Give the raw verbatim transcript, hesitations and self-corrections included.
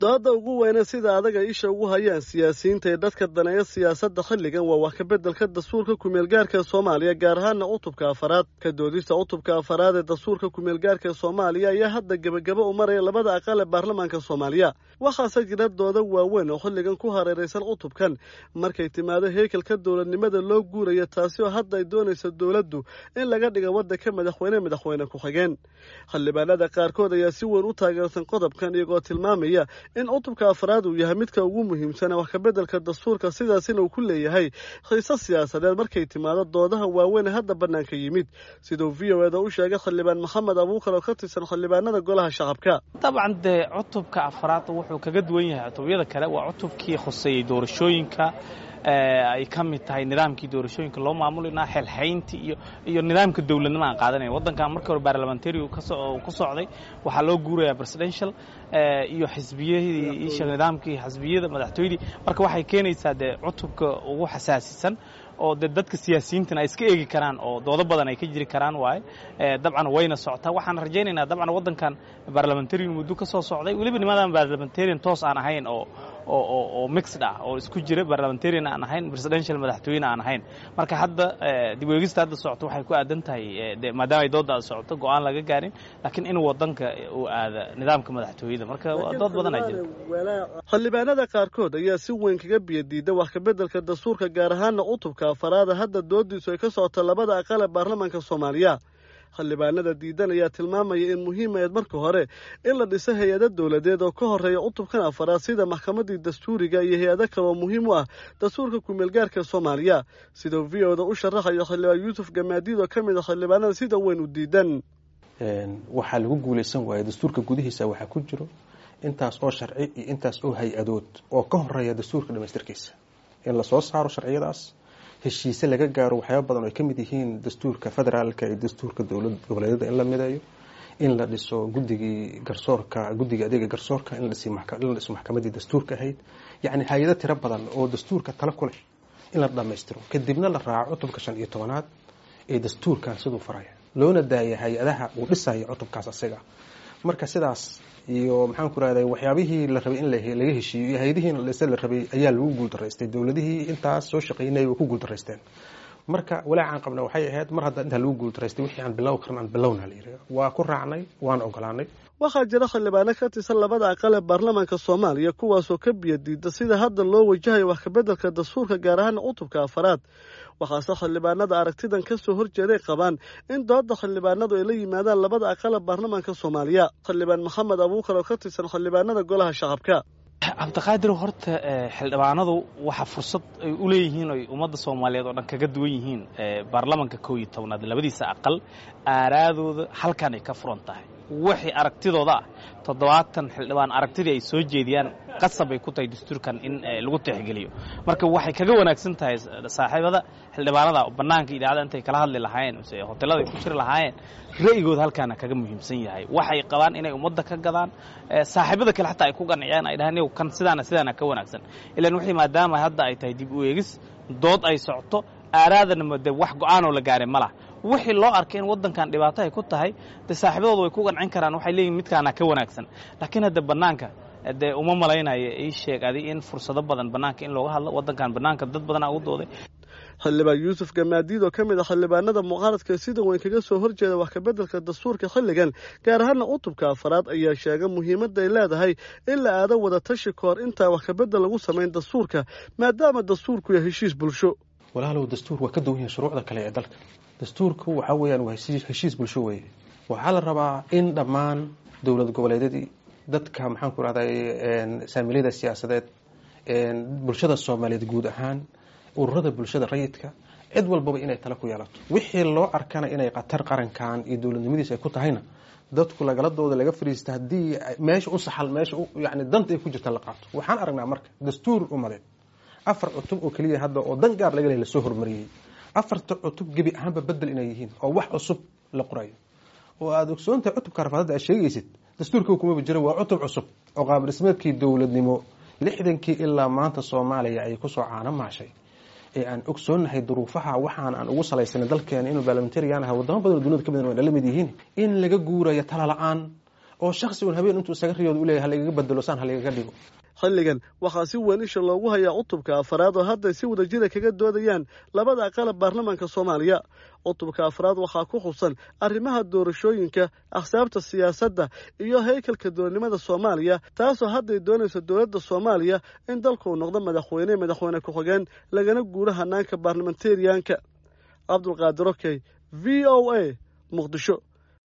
Dooda ugu weyne sida adaga isha ugu hayaan siyaasiyiinta ee dadka daneeya siyaasadda xilligan waa wax ka beddelka dastuurka kumeelgaarka Soomaaliya, gaar ahaana cutubka afaraad. Ka doodista cutubka afaraad ee dastuurka kumeelgaarka Soomaaliya ayaa hadda gebagabo u maraya labada aqal ee baarlamaanka Soomaaliya. Waxaase jira dooda waaweyn oo xilligan ku hareeraysan cutubkan markay timaado heykalka dowladnimada loo guuraya, taasi oo hadda ay doonaysa dowladdu in laga dhigo waddanka madaxweyne madaxweyne ku-xigeen. Xildhibaanada qaarkood ayaa si weyn u taageersan qodobkan, iyagoo tilmaamaya in cutubka afraad uu yahay midka ugu muhiimsan wax ka beddelka dastuurka, sidaasina uu ku leeyahay xiise siyaasadeed markay timaado doodaha waaweyn ee hadda bannaanka yimid, siduu V O E da u sheegay xildhibaan Maxamed Abuukar oo ka tirsan xildhibaanada golaha shacabka. Dabcan dee cutubka afraad wuxuu kaga duwan yahay cutubyada kale, waa cutubkii khuseeyey doorashooyinka, ay ka mid tahay nidaamkii doorashooyinka loo maamulinaa, xelxayntii iyo iyo nidaamka dowladnimo aan qaadanaya. Waddankan markii hore baarlamentary ku socday, waxaa loo guurayaa presidential iyo xisbiyadii, isha nidaamkii xisbiyada madaxtooyadii. Marka waxay keenaysaa dee cutubka ugu xasaasisan oo dee dadka siyaasiyiintana ay iska eegi karaan oo doodo badan ay ka jiri karaan waaye. Dabcan wayna socotaa, waxaan rajaynaynaa dabcan waddankan barlamentarian muddo ka soo socday, weliba nimadan barlamentarian toos aan ahayn oo oo oo mixed ah oo isku jira, barlamentarian aan ahayn, presidential madaxtooyene aan ahayn. Marka hadda dib u eegista hadda socoto waxay ku aadan tahay, maadaama ay doodda socoto, go'aan laga gaarin, laakiin in waddanka uu aada nidaamka madaxtooyada. Marka dood badan aa jira. Xildhibaanada qaarkood ayaa si weyn kaga biyadiida wax ka beddelka dastuurka, gaar ahaana cutubka afaraada hadda doodiisu ay ka socoto labada aqal ee baarlamaanka Soomaaliya. Xildhibaanada diidan ayaa tilmaamaya in muhiim ahayd marka hore in la dhiso hay-ado dowladeed oo ka horeeya cutubkan afaraad, sida maxkamadii dastuuriga iyo hay-ado kale oo muhiim u ah dastuurka kumeelgaarka Soomaaliya, siduu V O da u sharaxayo xildhibaan Yuusuf Gamaadiid oo ka mid a xildhibaanada sida weyn u diidan. Waxaa lagu guulaysan waaya dastuurka gudihiisa waxaa ku jiro intaas oo sharci iyo intaas oo hay-adood oo ka horeeya dastuurka dhamaystirkiisa, in lasoo saaro sharciyadaas, heshiise laga gaaro waxyaaba badan oo ay ka mid yihiin dastuurka federaalka iyo dastuurka dowlad goboleedyada in la mideeyo, in la dhiso guddigii garsoorka, guddiga adeega garsoorka, in la dhiso maxkamadii dastuurka ahayd, yacni hay-ado tiro badan oo dastuurka tala ku leh in la dhammaystiro, kadibna la raaco cutubka shan iyo tobanaad ee dastuurkan siduu faraya, loona daaya hay-adaha uu dhisayo cutubkaas asiga. Marka sidaas iyo maxaan ku rahday waxyaabihii la rabay in laga heshiiyo iyo hay-adihiin la dhisa la rabay ayaa lagu guuldaraystay. Dowladihii intaas soo shaqaynayay way ku guuldaraysteen. Marka walaacaan qabna waxay ahayd mar hadda intaa lagu guuldaraystay wixii aan bilow karan aan bilowna la yidhi, waa ku raacnay, waana ogolaanay. Waxaa jira xildhibaano ka tirsan labada aqal ee baarlamaanka Soomaaliya kuwaasoo ka biyadiida sida hadda loo wajahayo wax kabeddelka dastuurka, gaar ahaan cutubka afaraad. Waxaase xildhibaanada aragtidan ka soo horjeeday qabaan in dooda xildhibaanadu ay la yimaadaan labada aqal ee baarlamaanka Soomaaliya. Xildhibaan Maxamed Abuukar oo ka tirsan xildhibaanada golaha shacabka. Cabdiqaadir, horta xildhibaanadu waxa fursad ay u leeyihiin oy ummadda Soomaaliyeed oo dhan kaga duwan yihiin baarlamanka kow iyo tobnaad labadiisa aqal, aaraadooda halkan ay ka furan tahay. Wixii aragtidooda ah, toddobaatan xildhibaan aragtidii ay soo jeediyaan qasab ay ku tahay dastuurkan in lagu tixgeliyo. Marka waxay kaga wanaagsan tahay saaxiibada xildhibaanada bannaanka idaacada intay kala hadli lahaayeen mise hotelada ay ku jiri lahaayeen, ra'yigooda halkaana kaga muhiimsan yahay. Waxay qabaan inay ummadda ka gadaan, saaxiibada kale xataa ay ku qanciyaan, ay dhahaan kan sidaana sidaana ka wanaagsan. Ilaan wixii maadaama hadda ay tahay dib u eegis, dood ay socoto, aaraadana de wax go'aanoo la gaaray ma laha. Wixii loo arkay in waddankan dhibaato ay ku tahay, dee saaxiibadooda way ku qancin karaan, waxay leeyihin midkaana ka wanaagsan. Laakiin hadda bannaanka dee uma malaynayo, ii sheeg adi in fursado badan bannaanka in looga hadlo waddankan bannaanka dad badanaa ugu dooday. Xildhibaan Yuusuf Gamaadiid oo ka mid ah xildhibaanada mucaaradka sida weyn kaga soo horjeeda wax kabeddelka dastuurka xilligan, gaar ahaana cutubka afaraad, ayaa sheegay muhiimadda ay leedahay in la aado wada tashi kahor intaan wax kabedel lagu samayn dastuurka, maadaama dastuurku yahay heshiis bulsho. Walaalow, dastuur waa ka duwan yahay shuruucda kale ee dalka. Dastuurku waxaa weeyaan waa heshiis bulsho weeye. Waxaa la rabaa in dhammaan dowlad goboleedyadii, dadka maxaan ku rahday saamilyada siyaasadeed, bulshada Soomaaliyeed guud ahaan, ururada bulshada rayidka, cid walbaba inay tala ku yeelato. Wixii loo arkana inay khatar qarankan iyo dowladnimadiisa ay ku tahayna dadku lagaladooda laga fariista, haddii meesha u saxal meesha yani danta ay ku jirta la qaato. Waxaan aragnaa marka dastuur umadeed afar cutub oo keliya hadda oo dan gaar laga lehay lasoo hormariyey, afarta cutub gebi ahaanba bedel inay yihiin oo wax cusub la qorayo. Oo aada ogsoontahay cutubka rafaadada aad sheegaysid dastuurka kumaba jiro, waa cutub cusub oo qaab dhismeedkii dowladnimo lixdankii ilaa maanta Soomaaliya ay kusoo caano maashay ee aan ogsoonnahay duruufaha waxaan aan ugu salaysanay dalkeena inuu baarlamentarian ahaa, wadamo badan oo dunida ka mid waa la mid yihiin, in laga guurayo tala la-aan Oo shaksi un habeen intuu isaga riyooda u leeyahay halagaga bedelo, saan halagaga dhigo. Xilligan waxaa si weyn isha loogu hayaa cutubka afaraad oo hadday si wadajira kaga doodayaan labada aqalab baarlamaanka Soomaaliya. Cutubka afraad waxaa ku xusan arrimaha doorashooyinka, axsaabta siyaasadda iyo haykalka dowladnimada Soomaaliya, taasoo hadday doonayso dowladda Soomaaliya in dalku uu noqdo madaxweyne, madaxweyne ku-xigeen, lagana guuro hanaanka baarlamentariyanka. Cabdulqaadir Okey, V O A, Muqdisho.